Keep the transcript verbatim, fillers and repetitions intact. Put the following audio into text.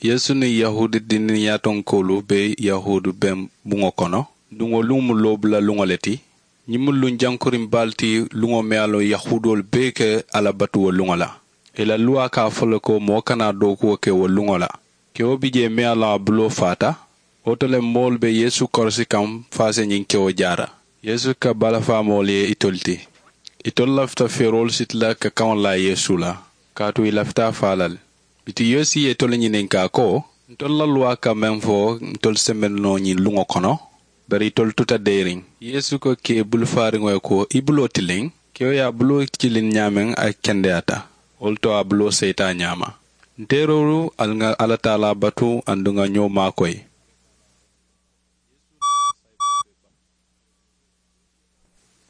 Yeesu niŋ yahuudi dinniŋ yaatonkoolu be yahuudu beŋ buŋo kono. Duŋ wo luŋo mu loobula luŋo le ti. Ñiŋ mu luŋ jankuriŋ baalu ti, luŋo meŋ ye a loŋ yahuudoolu bee ka alla batu wo luŋo la. Ì la luwaa ka a fo le ko moo kana dookuwo ke wo luŋo la. Kewo bi jee meŋ ye a loŋ a buloo faata. Wo to le moolu be yeesu korosi kaŋ fo a si ñiŋ kewo jaara. Yeesu ka balafaa moolu ye itolu ti. Itolu lafita feeroolu siti la ka kaŋo laa yeesu la, kaatu ì lafita a faa la le. Bituŋ yeesu ye itolu ñininkaa ko, ntolu la luwaa ka meŋ fo, ntolu se meŋ noo ñiŋ luŋo kono? Bari itolu tuta deeriŋ. Yeesu ko kee bulufaariŋo ye ko, i buloo tiliŋ. Kewo ye a buloo kiliŋ ñaameŋ, a kendeyaata. Wo le to a buloo seyita a ñaama. Nteeroolu ali ŋa alla taalaa batu aduŋ ŋa ñoo maakoyi.